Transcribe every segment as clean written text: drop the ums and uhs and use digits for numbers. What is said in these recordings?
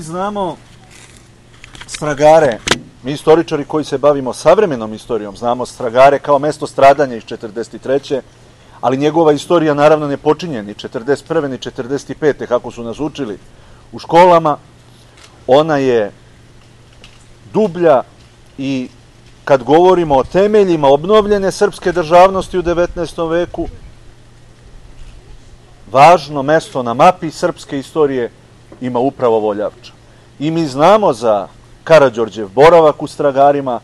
Znamo Stragare, mi istoričari koji se bavimo savremenom istorijom, znamo Stragare kao mesto stradanja iz 43. Ali njegova istorija naravno ne počinje ni 41. ni 45. kako su nas učili u školama. Ona je dublja i kad govorimo o temeljima obnovljene srpske državnosti u 19. veku, važno mesto na mapi srpske istorije ima upravo Voljavča. I mi znamo za Karađorđev boravak u Stragarima,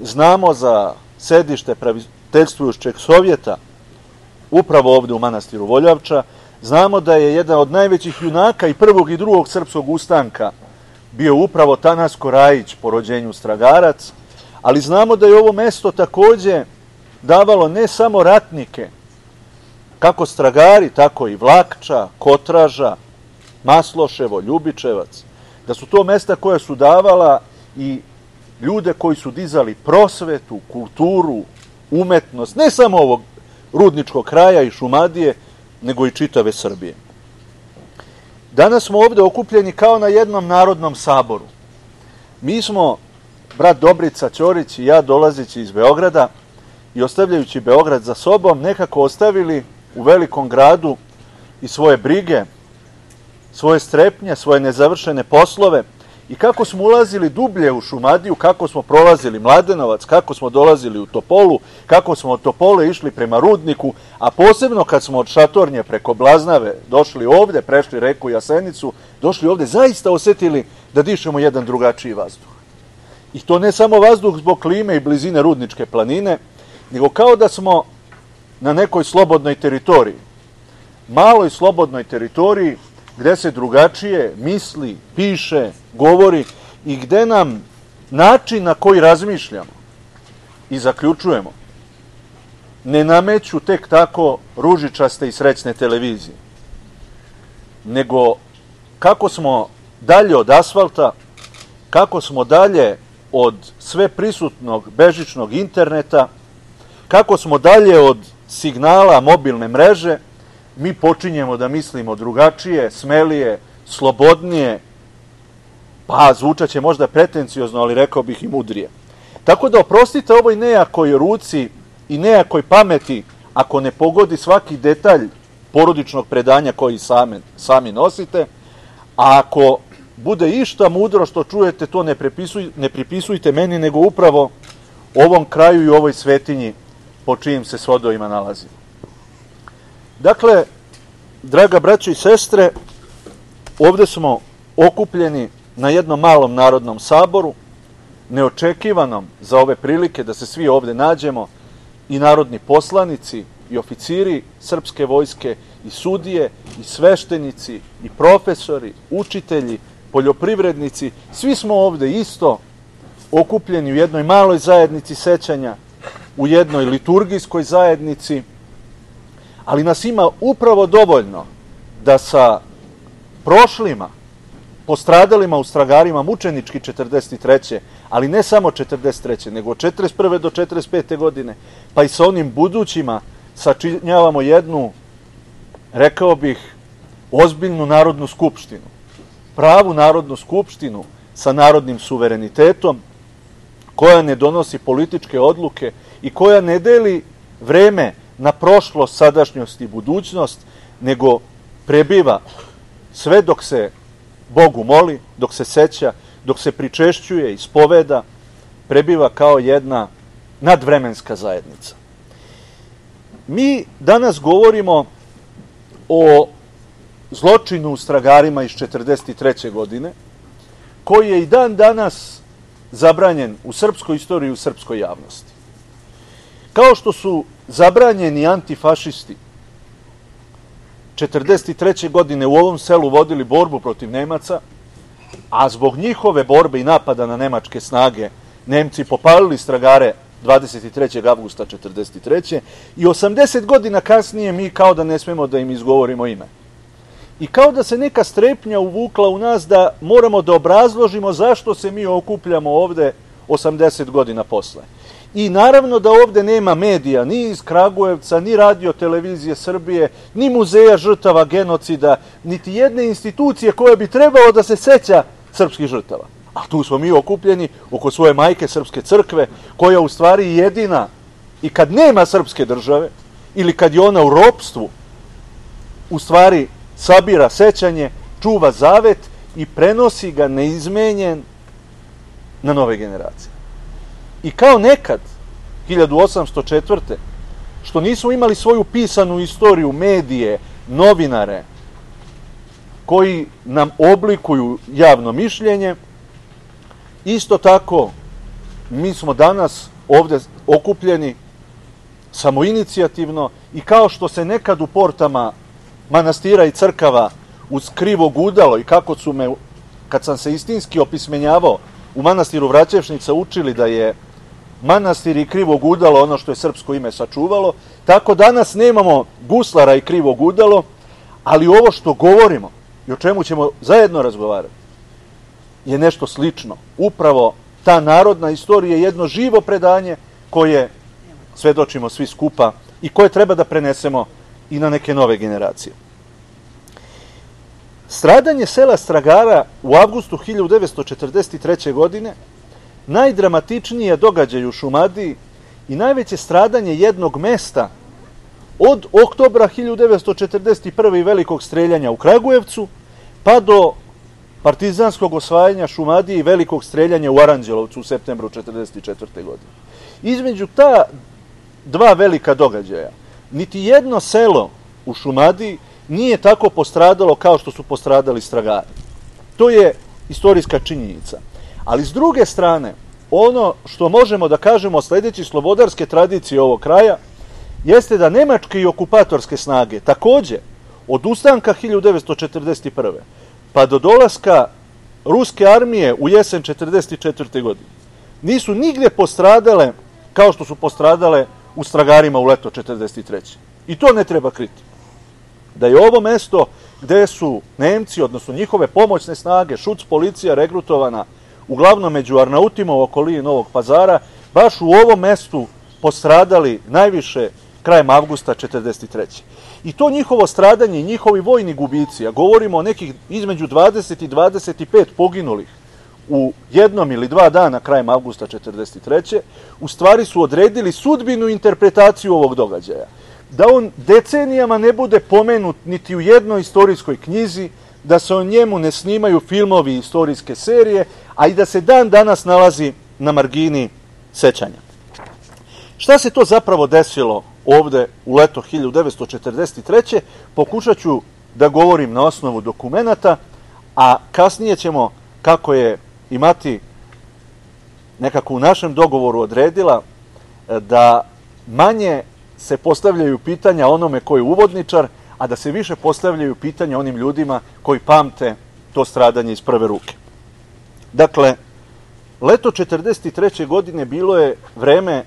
znamo za sedište praviteljstvujućeg Sovjeta upravo ovde u manastiru Voljavča, znamo da je jedan od najvećih junaka i prvog i drugog srpskog ustanka bio upravo Tanasko Rajić, po rođenju Stragarac, ali znamo da je ovo mesto takođe davalo ne samo ratnike, kako Stragari, tako i Vlakča, Kotraža, Masloševo, Ljubičevac, da su to mesta koja su davala i ljude koji su dizali prosvetu, kulturu, umetnost, ne samo ovog rudničkog kraja i Šumadije, nego i čitave Srbije. Danas smo ovde okupljeni kao na jednom narodnom saboru. Mi smo, brat Dobrica Ćorić i ja, dolazeći iz Beograda i ostavljajući Beograd za sobom, nekako ostavili u velikom gradu i svoje brige, svoje strepnje, svoje nezavršene poslove i kako smo ulazili dublje u Šumadiju, kako smo prolazili Mladenovac, kako smo dolazili u Topolu, kako smo od Topole išli prema Rudniku, a posebno kad smo od Šatornje preko Blaznave došli ovde, prešli reku Jasenicu, došli ovde, zaista osetili da dišemo jedan drugačiji vazduh. I to ne samo vazduh zbog klime i blizine Rudničke planine, nego kao da smo na nekoj slobodnoj teritoriji, maloj slobodnoj teritoriji, gde se drugačije misli, piše, govori i gde nam način na koji razmišljamo i zaključujemo ne nameću tek tako ružičaste i srećne televizije, nego kako smo dalje od asfalta, kako smo dalje od sve prisutnog bežičnog interneta, kako smo dalje od signala mobilne mreže, mi počinjemo da mislimo drugačije, smelije, slobodnije, pa zvučaće možda pretenciozno, ali rekao bih i mudrije. Tako da oprostite ovoj nejakoj ruci i nejakoj pameti ako ne pogodi svaki detalj porodičnog predanja koji sami nosite, a ako bude išta mudro što čujete, to ne pripisujte meni, nego upravo ovom kraju i ovoj svetinji po čijim se svodovima nalazimo. Dakle, draga braćo i sestre, ovde smo okupljeni na jednom malom narodnom saboru, neočekivanom za ove prilike da se svi ovde nađemo, i narodni poslanici, i oficiri srpske vojske, i sudije, i sveštenici, i profesori, učitelji, poljoprivrednici, svi smo ovde isto okupljeni u jednoj maloj zajednici sećanja, u jednoj liturgijskoj zajednici, ali nas ima upravo dovoljno da sa prošlima, postradalima u Stragarima mučenički 43. ali ne samo 43. nego od 41. do 45. godine, pa i sa onim budućima sačinjavamo jednu, rekao bih, ozbiljnu narodnu skupštinu, pravu narodnu skupštinu sa narodnim suverenitetom, koja ne donosi političke odluke i koja ne deli vreme na prošlost, sadašnjost i budućnost, nego prebiva sve dok se Bogu moli, dok se seća, dok se pričešćuje, ispoveda, prebiva kao jedna nadvremenska zajednica. Mi danas govorimo o zločinu u Stragarima iz 43. godine, koji je i dan danas zabranjen u srpskoj istoriji i u srpskoj javnosti. Kao što su zabranjeni antifašisti 43. godine u ovom selu vodili borbu protiv Nemaca, a zbog njihove borbe i napada na nemačke snage Nemci popalili Stragare 23. avgusta 43. i 80 godina kasnije mi kao da ne smemo da im izgovorimo ime. I kao da se neka strepnja uvukla u nas da moramo da obrazložimo zašto se mi okupljamo ovde 80 godina posle. I naravno da ovde nema medija, ni iz Kragujevca, ni Radio televizije Srbije, ni muzeja žrtava genocida, niti jedne institucije koja bi trebalo da se seća srpskih žrtava. A tu smo mi okupljeni oko svoje majke Srpske crkve, koja u stvari jedina, i kad nema srpske države, ili kad je ona u ropstvu, u stvari sabira sećanje, čuva zavet i prenosi ga neizmenjen na nove generacije. I kao nekad, 1804. što nismo imali svoju pisanu istoriju, medije, novinare, koji nam oblikuju javno mišljenje, isto tako mi smo danas ovde okupljeni samoinicijativno i kao što se nekad u portama manastira i crkava uz krivo gudalo i kako su me, kad sam se istinski opismenjavao u manastiru Vraćevšnica, učili da je manastir i krivo gudalo ono što je srpsko ime sačuvalo, tako danas nemamo guslara i krivo gudalo, ali ovo što govorimo i o čemu ćemo zajedno razgovarati je nešto slično. Upravo ta narodna istorija je jedno živo predanje koje svedočimo svi skupa i koje treba da prenesemo i na neke nove generacije. Stradanje sela Stragara u avgustu 1943. godine najdramatičniji je događaj u Šumadiji i najveće stradanje jednog mesta od oktobra 1941. i velikog streljanja u Kragujevcu pa do partizanskog osvajanja Šumadije i velikog streljanja u Aranđelovcu u septembru 1944. godine. Između ta dva velika događaja niti jedno selo u Šumadiji nije tako postradalo kao što su postradali Stragari. To je istorijska činjenica. Ali s druge strane, ono što možemo da kažemo sledeći slobodarske tradicije ovog kraja, jeste da nemačke i okupatorske snage takođe od ustanka 1941. pa do dolaska ruske armije u jesen 1944. godine nisu nigde postradale kao što su postradale u Stragarima u leto 1943. I to ne treba kriti. Da je ovo mesto gde su Nemci, odnosno njihove pomoćne snage, šuc policija regrutovana uglavnom među Arnautima u okolini Novog Pazara, baš u ovom mestu postradali najviše krajem avgusta 1943. I to njihovo stradanje i njihovi vojni gubici, a govorimo o nekih između 20 i 25 poginulih u jednom ili dva dana krajem avgusta 1943. u stvari su odredili sudbinu interpretaciju ovog događaja. Da on decenijama ne bude pomenut niti u jednoj istorijskoj knjizi, da se o njemu ne snimaju filmovi i istorijske serije, a i da se dan danas nalazi na margini sećanja. Šta se to zapravo desilo ovde u leto 1943. Pokušat ću da govorim na osnovu dokumenata, a kasnije ćemo, kako je i Mati nekako u našem dogovoru odredila, da manje se postavljaju pitanja onome koji je uvodničar, a da se više postavljaju pitanja onim ljudima koji pamte to stradanje iz prve ruke. Dakle, leto 1943. godine bilo je vreme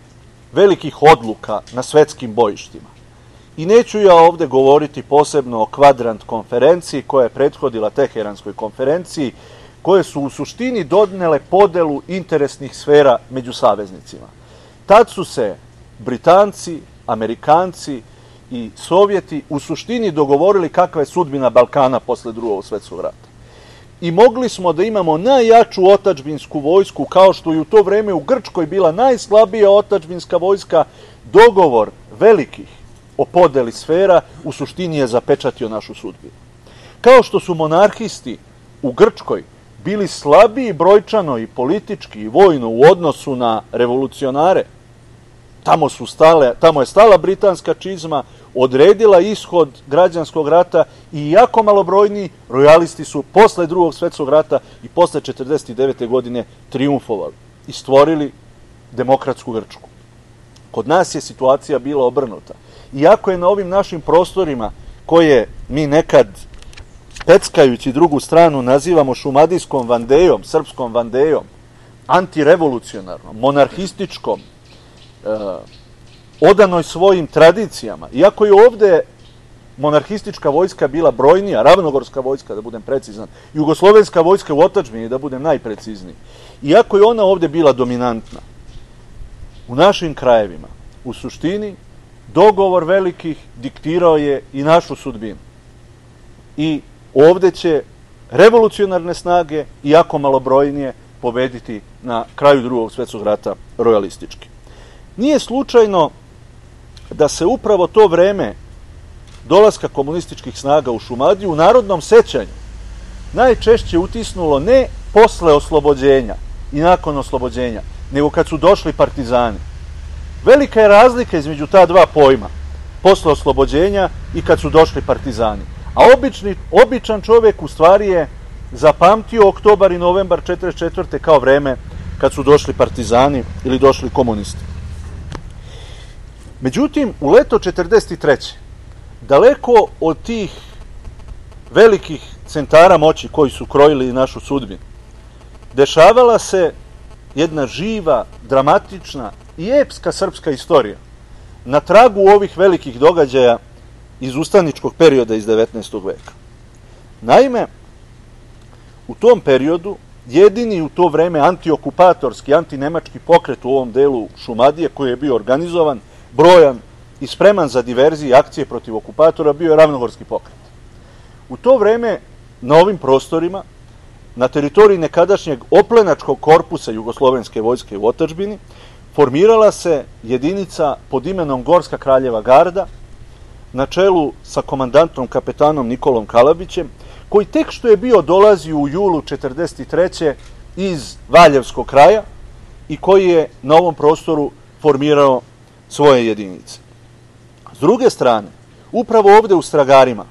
velikih odluka na svetskim bojištima. I neću ja ovde govoriti posebno o Kvadrant konferenciji koja je prethodila Teheranskoj konferenciji, koje su u suštini donele podelu interesnih sfera među saveznicima. Tad su se Britanci, Amerikanci i Sovjeti u suštini dogovorili kakva je sudbina Balkana posle Drugog svetskog rata. I mogli smo da imamo najjaču otadžbinsku vojsku, kao što je u to vreme u Grčkoj bila najslabija otadžbinska vojska. Dogovor velikih o podeli sfera u suštini je zapečatio našu sudbinu. Kao što su monarhisti u Grčkoj bili slabiji brojčano i politički i vojno u odnosu na revolucionare, tamo je stala britanska čizma, odredila ishod građanskog rata i jako malobrojni rojalisti su posle Drugog svetskog rata i posle 1949. godine triumfovali i stvorili demokratsku Grčku. Kod nas je situacija bila obrnuta. Iako je na ovim našim prostorima, koje mi nekad peckajući drugu stranu nazivamo šumadijskom vandejom, srpskom vandejom, antirevolucionarnom, monarhističkom, odanoj svojim tradicijama, iako je ovde monarhistička vojska bila brojnija, ravnogorska vojska, da budem precizan, jugoslovenska vojska u otadžbini, da budem najprecizniji, iako je ona ovde bila dominantna, u našim krajevima, u suštini, dogovor velikih diktirao je i našu sudbinu. I ovde će revolucionarne snage, iako malobrojnije, pobediti na kraju Drugog svjetskog rata rojalistički. Nije slučajno da se upravo to vreme dolaska komunističkih snaga u Šumadiju u narodnom sećanju najčešće utisnulo ne posle oslobođenja i nakon oslobođenja, nego kad su došli partizani. Velika je razlika između ta dva pojma, posle oslobođenja i kad su došli partizani. A običan čovjek u stvari je zapamtio oktobar i novembar 1944. kao vreme kad su došli partizani ili došli komunisti. Međutim, u leto 1943. daleko od tih velikih centara moći koji su krojili našu sudbinu, dešavala se jedna živa, dramatična i epska srpska istorija na tragu ovih velikih događaja iz ustaničkog perioda iz 19. veka. Naime, u tom periodu jedini u to vreme antiokupatorski, antinemački pokret u ovom delu Šumadije koji je bio organizovan, brojan i spreman za diverzije i akcije protiv okupatora bio je Ravnogorski pokret. U to vreme na ovim prostorima, na teritoriji nekadašnjeg oplenačkog korpusa Jugoslovenske vojske u otadžbini, formirala se jedinica pod imenom Gorska kraljeva garda na čelu sa komandantom kapetanom Nikolom Kalabićem, koji tek što je bio dolazio u julu 1943. iz Valjevskog kraja i koji je na ovom prostoru formirao svoje jedinice. S druge strane, upravo ovde u Stragarima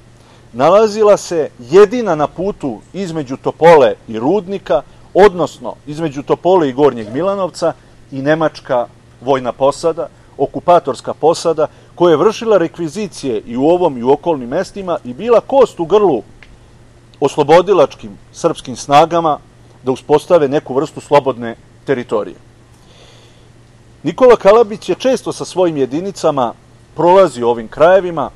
nalazila se jedina na putu između Topole i Rudnika, odnosno između Topole i Gornjeg Milanovca i nemačka vojna posada, okupatorska posada, koja je vršila rekvizicije i u ovom i u okolnim mestima i bila kost u grlu oslobodilačkim srpskim snagama da uspostave neku vrstu slobodne teritorije. Nikola Kalabić je često sa svojim jedinicama prolazio ovim krajevima,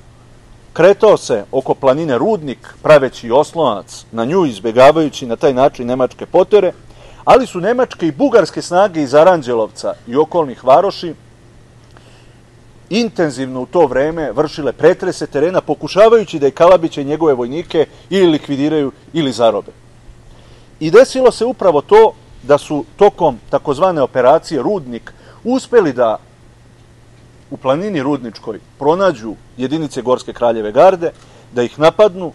kretao se oko planine Rudnik, praveći oslonac na nju, izbegavajući na taj način nemačke potere, ali su nemačke i bugarske snage iz Aranđelovca i okolnih varoši intenzivno u to vreme vršile pretrese terena, pokušavajući da i Kalabića i njegove vojnike ili likvidiraju ili zarobe. I desilo se upravo to da su tokom takozvane operacije Rudnik uspeli da u planini Rudničkoj pronađu jedinice Gorske kraljeve garde, da ih napadnu,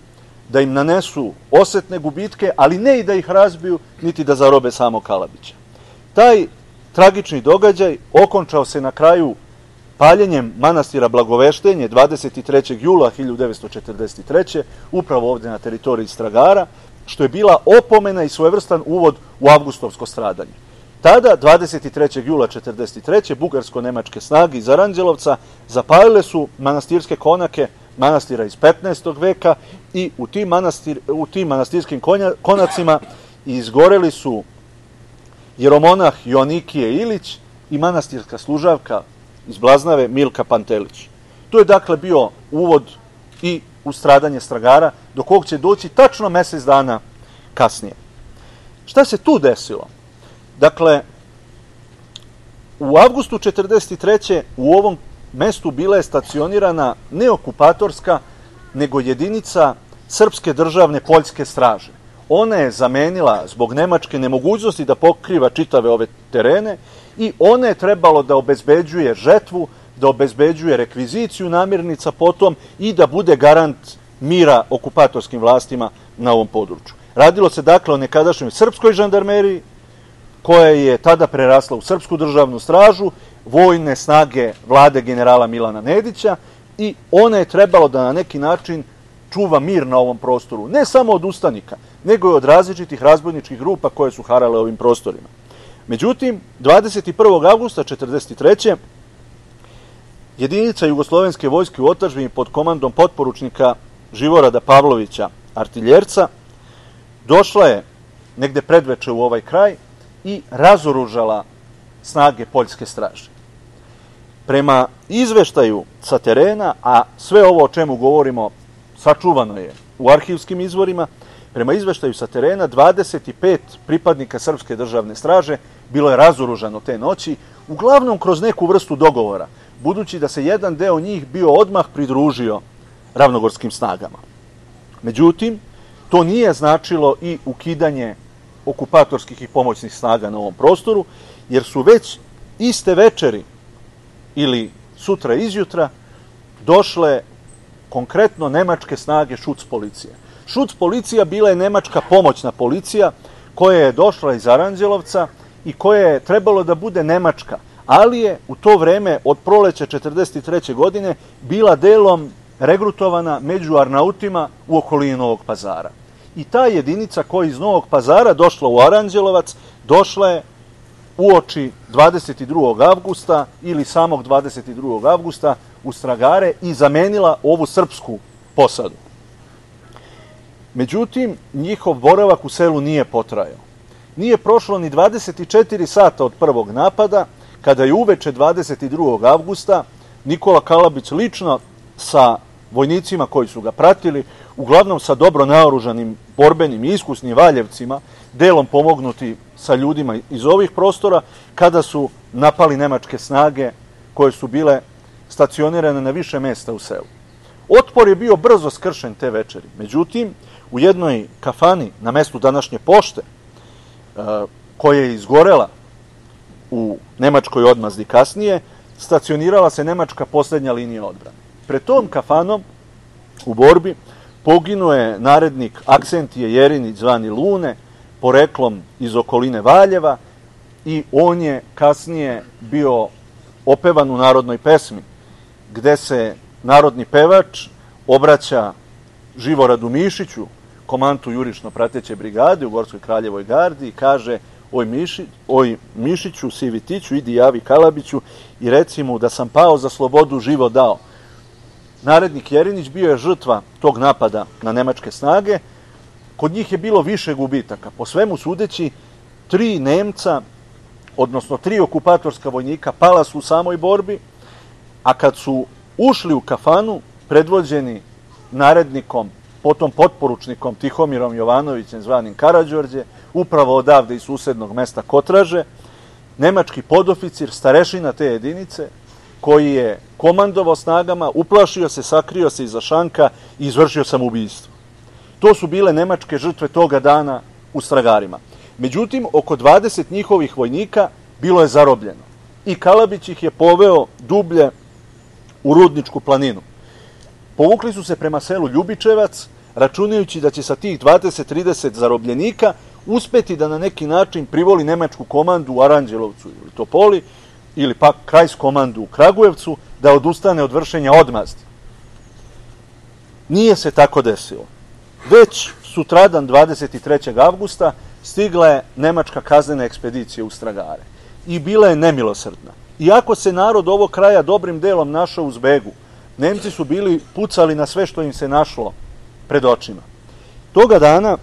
da im nanesu osetne gubitke, ali ne i da ih razbiju, niti da zarobe samo Kalabića. Taj tragični događaj okončao se na kraju paljenjem manastira Blagoveštenje 23. jula 1943. upravo ovde na teritoriji Stragara, što je bila opomena i svojevrstan uvod u avgustovsko stradanje. Tada, 23. jula 1943. bugarsko-nemačke snage iz Aranđelovca zapalile su manastirske konake manastira iz 15. veka i u tim manastirskim konacima izgoreli su jeromonah Joanikije Ilić i manastirska služavka iz Blaznave Milka Pantelić. To je dakle bio uvod i u stradanje Stragara, do kog će doći tačno mesec dana kasnije. Šta se tu desilo? Dakle, u avgustu 1943. u ovom mestu bila je stacionirana ne okupatorska, nego jedinica Srpske državne poljske straže. Ona je zamenila zbog nemačke nemogućnosti da pokriva čitave ove terene i ona je trebalo da obezbeđuje žetvu, da obezbeđuje rekviziciju namirnica potom i da bude garant mira okupatorskim vlastima na ovom području. Radilo se dakle o nekadašnjoj srpskoj žandarmeriji, koja je tada prerasla u Srpsku državnu stražu, vojne snage vlade generala Milana Nedića i ona je trebalo da na neki način čuva mir na ovom prostoru, ne samo od ustanika, nego i od različitih razbojničkih grupa koje su harale ovim prostorima. Međutim, 21. avgusta 1943. jedinica Jugoslovenske vojske u otadžbini pod komandom potporučnika Živorada Pavlovića, artiljerca, došla je negde predveče u ovaj kraj i razoružala snage poljske straže. Prema izveštaju sa terena, a sve ovo o čemu govorimo sačuvano je u arhivskim izvorima, prema izveštaju sa terena 25 pripadnika Srpske državne straže bilo je razoružano te noći, uglavnom kroz neku vrstu dogovora, budući da se jedan deo njih bio odmah pridružio ravnogorskim snagama. Međutim, to nije značilo i ukidanje okupatorskih i pomoćnih snaga na ovom prostoru, jer su već iste večeri ili sutra izjutra došle konkretno nemačke snage Schutzpolicije. Schutzpolicija bila je nemačka pomoćna policija koja je došla iz Aranđelovca i koja je trebalo da bude nemačka, ali je u to vreme od proleća 1943. godine bila delom regrutovana među Arnautima u okolini Novog Pazara. I ta jedinica koja iz Novog Pazara došla u Aranđelovac, došla je uoči 22. avgusta ili samog 22. avgusta u Stragare i zamenila ovu srpsku posadu. Međutim, njihov boravak u selu nije potrajao. Nije prošlo ni 24 sata od prvog napada, kada je uveče 22. avgusta Nikola Kalabić lično sa vojnicima koji su ga pratili, uglavnom sa dobro naoružanim, borbenim i iskusnim Valjevcima, delom pomognuti sa ljudima iz ovih prostora, kada su napali nemačke snage koje su bile stacionirane na više mesta u selu. Otpor je bio brzo skršen te večeri. Međutim, u jednoj kafani na mestu današnje pošte, koja je izgorela u nemačkoj odmazdi kasnije, stacionirala se nemačka poslednja linija odbrane. Pred tom kafanom u borbi poginuo je narednik Aksentije Jerinić zvani Lune, poreklom iz okoline Valjeva, i on je kasnije bio opevan u narodnoj pesmi, gde se narodni pevač obraća Živoradu Mišiću, komandu jurišno prateće brigade u Gorskoj Kraljevoj gardi, i kaže: oj Mišiću, Sivitiću, idi javi Kalabiću i reci mu da sam pao za slobodu život dao. Narednik Jerinić bio je žrtva tog napada na nemačke snage. Kod njih je bilo više gubitaka. Po svemu sudeći, 3 Nemca, odnosno 3 okupatorska vojnika pala su u samoj borbi, a kad su ušli u kafanu, predvođeni narednikom, potom potporučnikom Tihomirom Jovanovićem zvanim Karađorđe, upravo odavde iz susednog mesta Kotraže, nemački podoficir, starešina te jedinice, koji je komandovao snagama, uplašio se, sakrio se iza šanka i izvršio samoubistvo. To su bile nemačke žrtve toga dana u Stragarima. Međutim, oko 20 njihovih vojnika bilo je zarobljeno i Kalabić ih je poveo dublje u Rudničku planinu. Povukli su se prema selu Ljubičevac, računajući da će sa tih 20-30 zarobljenika uspeti da na neki način privoli nemačku komandu u Aranđelovcu ili Topoli, ili pak Krajskomandu u Kragujevcu, da odustane od vršenja odmazdi. Nije se tako desilo. Već sutradan 23. avgusta stigla je nemačka kaznena ekspedicija u Stragare i bila je nemilosrdna. Iako se narod ovog kraja dobrim delom našao u zbegu, Nemci su bili pucali na sve što im se našlo pred očima. Toga dana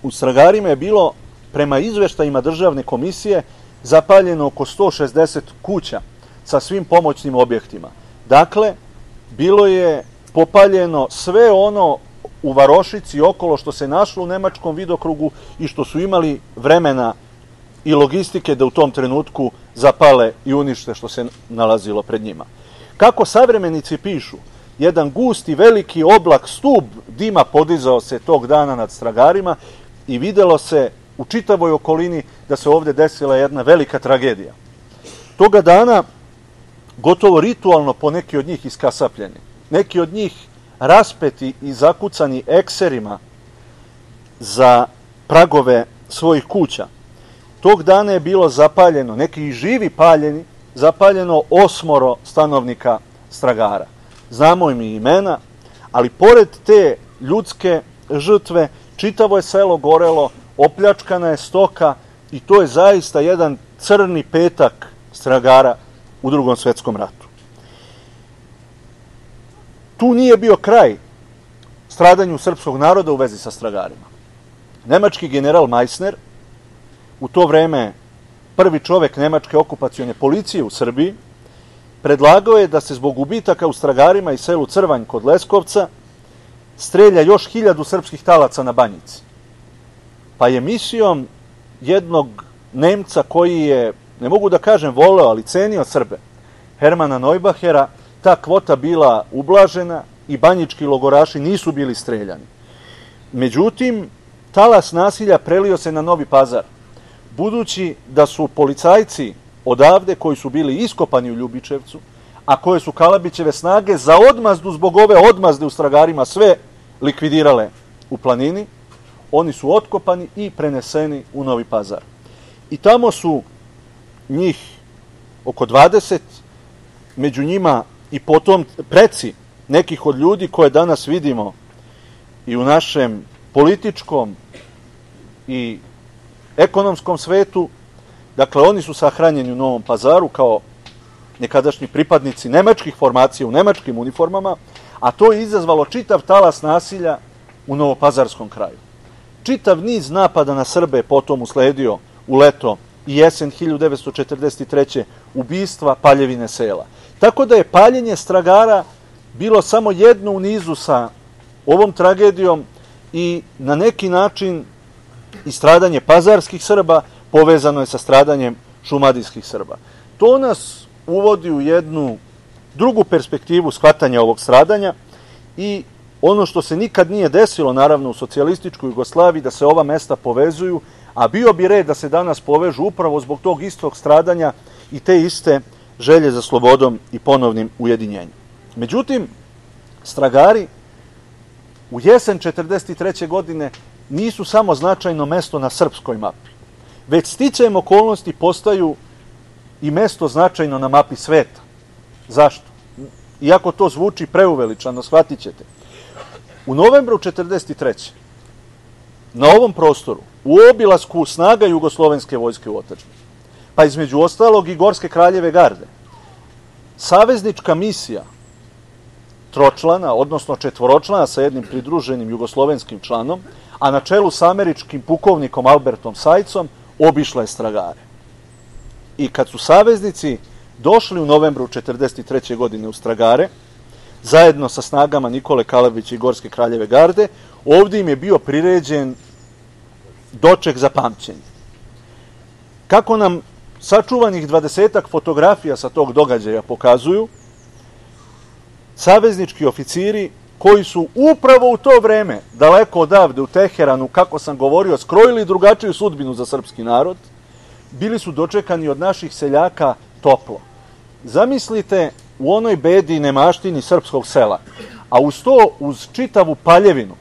u Stragarima je bilo, prema izveštajima državne komisije, zapaljeno oko 160 kuća sa svim pomoćnim objektima. Dakle, bilo je popaljeno sve ono u varošici okolo što se našlo u nemačkom vidokrugu i što su imali vremena i logistike da u tom trenutku zapale i unište što se nalazilo pred njima. Kako savremenici pišu, jedan gusti veliki oblak, stub dima podizao se tog dana nad Stragarima i videlo se u čitavoj okolini da se ovde desila jedna velika tragedija. Toga dana, gotovo ritualno po neki od njih iskasapljeni, neki od njih raspeti i zakucani ekserima za pragove svojih kuća. Tog dana je bilo zapaljeno, neki i živi paljeni, zapaljeno 8 stanovnika Stragara. Znamo im i imena, ali pored te ljudske žrtve, čitavo je selo gorelo, opljačkana je stoka i to je zaista jedan crni petak Stragara u Drugom svetskom ratu. Tu nije bio kraj stradanju srpskog naroda u vezi sa Stragarima. Nemački general Meissner, u to vreme prvi čovek nemačke okupacione policije u Srbiji, predlagao je da se zbog gubitaka u Stragarima i selu Crvanj kod Leskovca strelja još 1000 srpskih talaca na Banjici. Pa je misijom jednog Nemca koji je, ne mogu da kažem voleo, ali cenio Srbe, Hermana Neubachera, ta kvota bila ublažena i banjički logoraši nisu bili streljani. Međutim, talas nasilja prelio se na Novi Pazar, budući da su policajci odavde koji su bili iskopani u Ljubičevcu, a koje su Kalabićeve snage za odmazdu zbog ove odmazde u Stragarima sve likvidirale u planini, oni su otkopani i preneseni u Novi Pazar. I tamo su njih oko 20, među njima i potom preci nekih od ljudi koje danas vidimo i u našem političkom i ekonomskom svetu. Dakle, oni su sahranjeni u Novom Pazaru kao nekadašnji pripadnici nemačkih formacija u nemačkim uniformama, a to je izazvalo čitav talas nasilja u novopazarskom kraju. Čitav niz napada na Srbe potom usledio u leto i jesen 1943. ubistva, paljevine sela. Tako da je paljenje Stragara bilo samo jedno u nizu sa ovom tragedijom i na neki način i stradanje pazarskih Srba povezano je sa stradanjem šumadijskih Srba. To nas uvodi u jednu drugu perspektivu shvatanja ovog stradanja i ono što se nikad nije desilo, naravno, u socijalističkoj Jugoslaviji, da se ova mesta povezuju, a bio bi red da se danas povežu upravo zbog tog istog stradanja i te iste želje za slobodom i ponovnim ujedinjenjem. Međutim, Stragari u jesen 1943. godine nisu samo značajno mesto na srpskoj mapi, već sticajem okolnosti postaju i mesto značajno na mapi sveta. Zašto? Iako to zvuči preuveličano, shvatit ćete. U novembru 1943. na ovom prostoru, u obilasku snaga jugoslovenske vojske u otadžbini, pa između ostalog i Gorske kraljeve garde, saveznička misija tročlana, odnosno četvoročlana sa jednim pridruženim jugoslovenskim članom, a na čelu sa američkim pukovnikom Albertom Sajcom, obišla je Stragare. I kad su saveznici došli u novembru 1943. godine u Stragare, zajedno sa snagama Nikole Kalabića i Gorske kraljeve garde, ovdje im je bio priređen doček za pamćenje. Kako nam sačuvanih 20-ak fotografija sa tog događaja pokazuju, saveznički oficiri koji su upravo u to vreme, daleko odavde u Teheranu, kako sam govorio, skrojili drugačiju sudbinu za srpski narod, bili su dočekani od naših seljaka toplo. Zamislite u onoj bedi i nemaštini srpskog sela, a uz to, uz čitavu paljevinu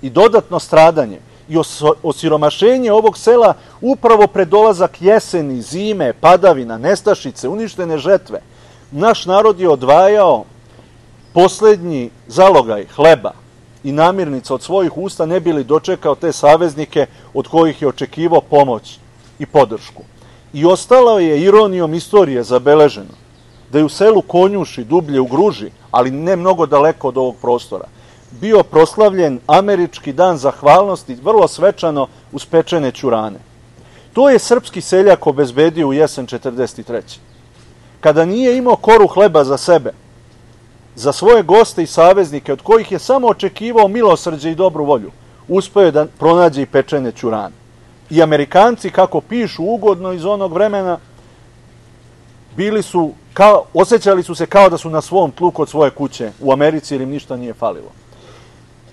i dodatno stradanje i osiromašenje ovog sela upravo pred dolazak jeseni, zime, padavina, nestašice, uništene žetve, naš narod je odvajao poslednji zalogaj hleba i namirnica od svojih usta ne bili dočekao te saveznike od kojih je očekivao pomoć i podršku. I ostalo je ironijom istorije zabeleženo da je u selu Konjuši, dublje u Gruži, ali ne mnogo daleko od ovog prostora, bio proslavljen američki dan zahvalnosti, vrlo svečano uz pečene ćurane. To je srpski seljak obezbedio u jesen 1943. Kada nije imao koru hleba za sebe, za svoje goste i saveznike, od kojih je samo očekivao milosrđe i dobru volju, uspeo je da pronađe i pečene ćurane. I Amerikanci, kako pišu ugodno iz onog vremena, osjećali su se kao da su na svom tlu kod svoje kuće u Americi jer im ništa nije falilo.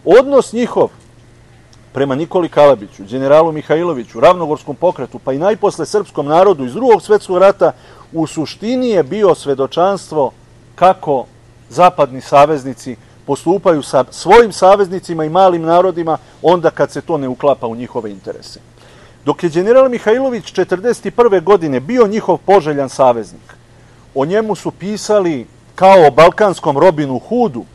Odnos njihov prema Nikoli Kalabiću, generalu Mihajloviću, Ravnogorskom pokretu, pa i najposle srpskom narodu iz Drugog svetskog rata, u suštini je bio svedočanstvo kako zapadni saveznici postupaju sa svojim saveznicima i malim narodima onda kad se to ne uklapa u njihove interese. Dok je general Mihajlović 1941. godine bio njihov poželjan saveznik, o njemu su pisali kao o balkanskom Robinu Hoodu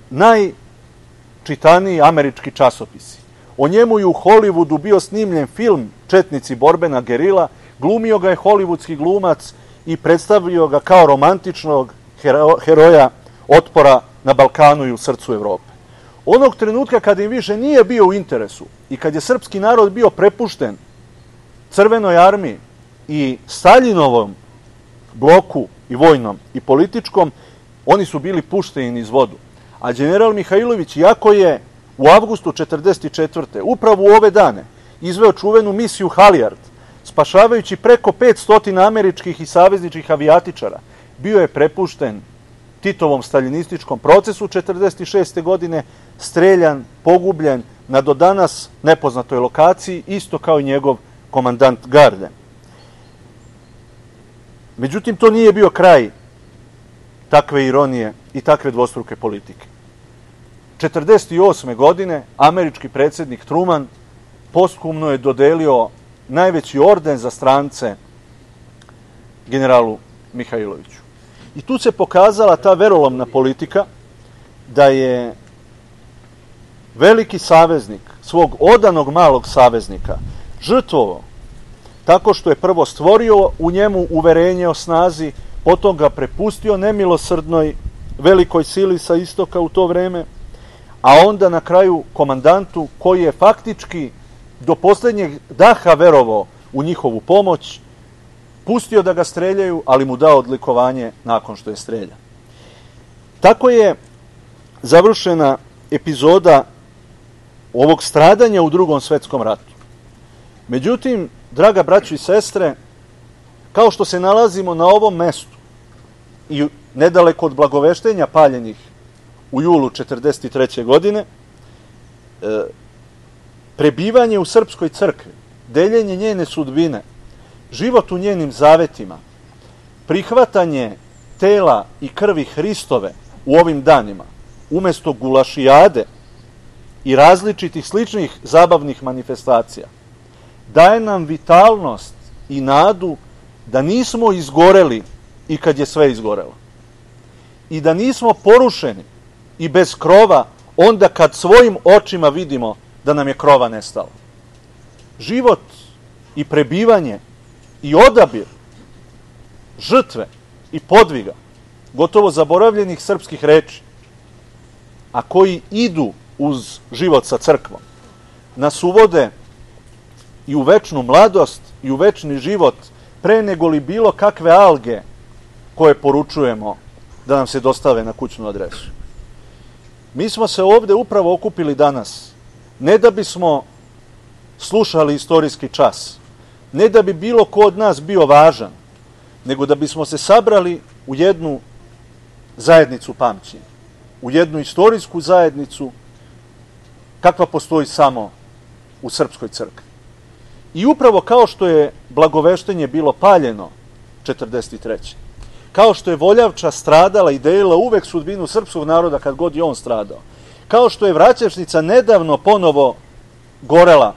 najčitaniji američki časopisi. O njemu je u Hollywoodu bio snimljen film Četnici borbena gerila, glumio ga je hollywoodski glumac i predstavio ga kao romantičnog heroja otpora na Balkanu i u srcu Evrope. Onog trenutka kada im više nije bio u interesu i kad je srpski narod bio prepušten Crvenoj armiji i Staljinovom bloku i vojnom i političkom, oni su bili pušteni iz vodu. A general Mihajlović, iako je u avgustu 1944. upravo u ove dane izveo čuvenu misiju Halijard, spašavajući preko 500 američkih i savezničkih avijatičara, bio je prepušten Titovom staljinističkom procesu 1946. godine streljan, pogubljen na do danas nepoznatoj lokaciji, isto kao i njegov komandant garde. Međutim, to nije bio kraj takve ironije i takve dvostruke politike. 1948. godine američki predsjednik Truman posthumno je dodelio najveći orden za strance generalu Mihajloviću. I tu se pokazala ta verolomna politika da je veliki saveznik svog odanog malog saveznika žrtvovao tako što je prvo stvorio u njemu uverenje o snazi, potom ga prepustio nemilosrdnoj velikoj sili sa istoka u to vreme, a onda na kraju komandantu koji je faktički do posljednjeg daha verovao u njihovu pomoć, pustio da ga streljaju, ali mu dao odlikovanje nakon što je streljan. Tako je završena epizoda ovog stradanja u Drugom svetskom ratu. Međutim, draga braćo i sestre, kao što se nalazimo na ovom mestu i nedaleko od blagoveštenja paljenih u julu 1943. godine, prebivanje u srpskoj crkvi, deljenje njene sudbine, život u njenim zavetima, prihvatanje tela i krvi Hristove u ovim danima, umesto gulašijade i različitih sličnih zabavnih manifestacija, daje nam vitalnost i nadu da nismo izgoreli i kad je sve izgorelo. I da nismo porušeni i bez krova onda kad svojim očima vidimo da nam je krova nestalo. Život i prebivanje i odabir žrtve i podviga gotovo zaboravljenih srpskih reči, a koji idu uz život sa crkvom, nas uvode i u večnu mladost i u večni život pre nego li bilo kakve alge koje poručujemo da nam se dostave na kućnu adresu. Mi smo se ovde upravo okupili danas, ne da bismo slušali istorijski čas, ne da bi bilo ko od nas bio važan, nego da bismo se sabrali u jednu zajednicu pamćenja, u jednu istorijsku zajednicu kakva postoji samo u srpskoj crkvi. I upravo kao što je blagoveštenje bilo paljeno 1943. Kao što je Voljavča stradala i delila uvek sudbinu srpskog naroda kad god je on stradao, kao što je Vraćevšnica nedavno ponovo gorela,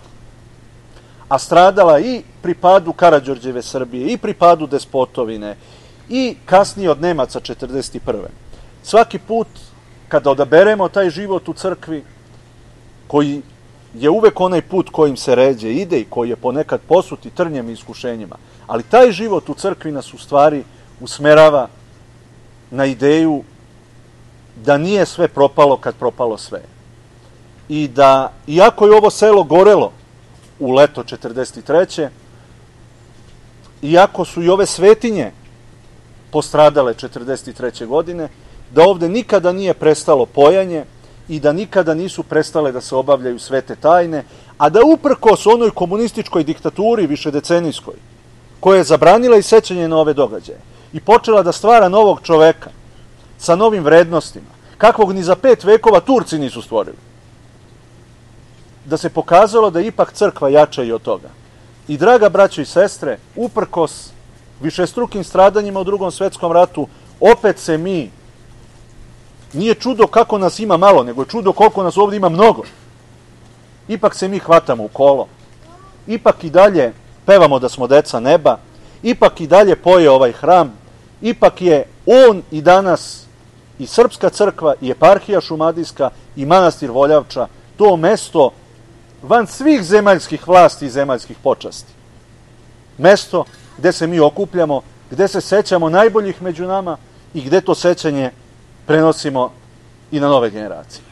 a stradala i pri padu Karađorđeve Srbije, i pri padu Despotovine, i kasnije od Nemaca 1941. Svaki put kada odaberemo taj život u crkvi, koji je uvek onaj put kojim se ređe ide i koji je ponekad posut i trnjem i iskušenjima, ali taj život u crkvi nas u stvari usmerava na ideju da nije sve propalo kad propalo sve. I da, iako je ovo selo gorelo u leto 1943. Iako su i ove svetinje postradale 1943. godine, da ovde nikada nije prestalo pojanje i da nikada nisu prestale da se obavljaju svete tajne, a da uprkos onoj komunističkoj diktaturi višedecenijskoj, koja je zabranila i sećanje na ove događaje i počela da stvara novog čoveka sa novim vrednostima, kakvog ni za 5 vekova Turci nisu stvorili, da se pokazalo da je ipak crkva jača i od toga. I draga braćo i sestre, uprkos višestrukim stradanjima u Drugom svetskom ratu, opet se mi, nije čudo kako nas ima malo, nego je čudo koliko nas ovdje ima mnogo, ipak se mi hvatamo u kolo, ipak i dalje pevamo da smo deca neba, ipak i dalje poje ovaj hram, ipak je on i danas i Srpska crkva i eparhija Šumadijska i manastir Voljavča to mesto van svih zemaljskih vlasti i zemaljskih počasti. Mesto gde se mi okupljamo, gde se sećamo najboljih među nama i gde to sećanje prenosimo i na nove generacije.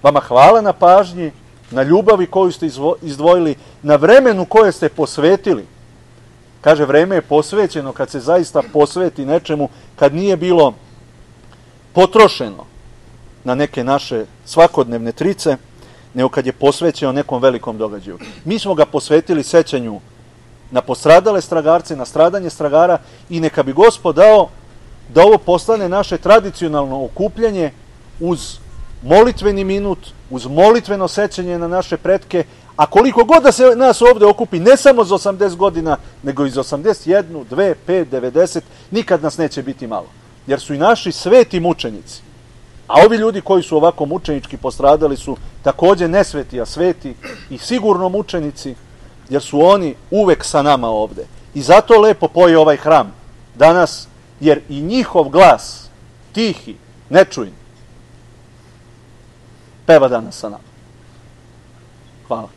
Vama hvala na pažnji, na ljubavi koju ste izdvojili, na vremenu koje ste posvetili. Kaže, vreme je posvećeno kad se zaista posveti nečemu, kad nije bilo potrošeno na neke naše svakodnevne trice, nego kad je posvećeno nekom velikom događaju. Mi smo ga posvetili sećanju na postradale stragarce, na stradanje stragara i neka bi Gospod dao da ovo postane naše tradicionalno okupljanje uz molitveni minut, uz molitveno sećanje na naše pretke, a koliko god da se nas ovde okupi, ne samo za 80 godina, nego i za 81, 2, 5, 90, nikad nas neće biti malo. Jer su i naši sveti mučenici, a ovi ljudi koji su ovako mučenički postradali su takođe nesveti, a sveti i sigurno mučenici, jer su oni uvek sa nama ovde. I zato lepo poje ovaj hram danas, jer i njihov glas, tihi, nečujni, peva danas sa nama. Hvala.